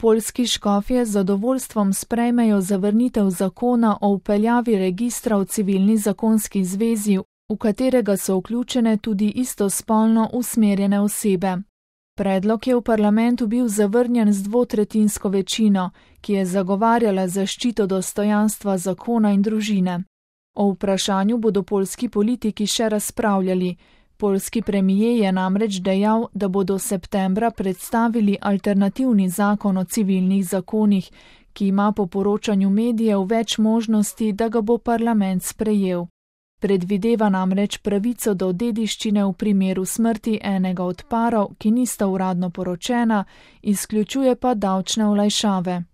poljski škofje z zadovoljstvom sprejmejo zavrnitev zakona o vpeljavi registra v civilni zakonski zvezi, v katerega so vključene tudi istospolno usmerjene osebe. Predlog je v parlamentu bil zavrnjen z dvotretjinsko večino, ki je zagovarjala zaščito dostojanstva zakona in družine. O vprašanju bodo poljski politiki še razpravljali. Poljski premijer je namreč dejal, da bodo septembra predstavili alternativni zakon o civilnih zakonih, ki ima po poročanju medijev več možnosti, da ga bo parlament sprejel. Predvideva namreč pravico do dediščine v primeru smrti enega od parov, ki nista uradno poročena, izključuje pa davčne olajšave.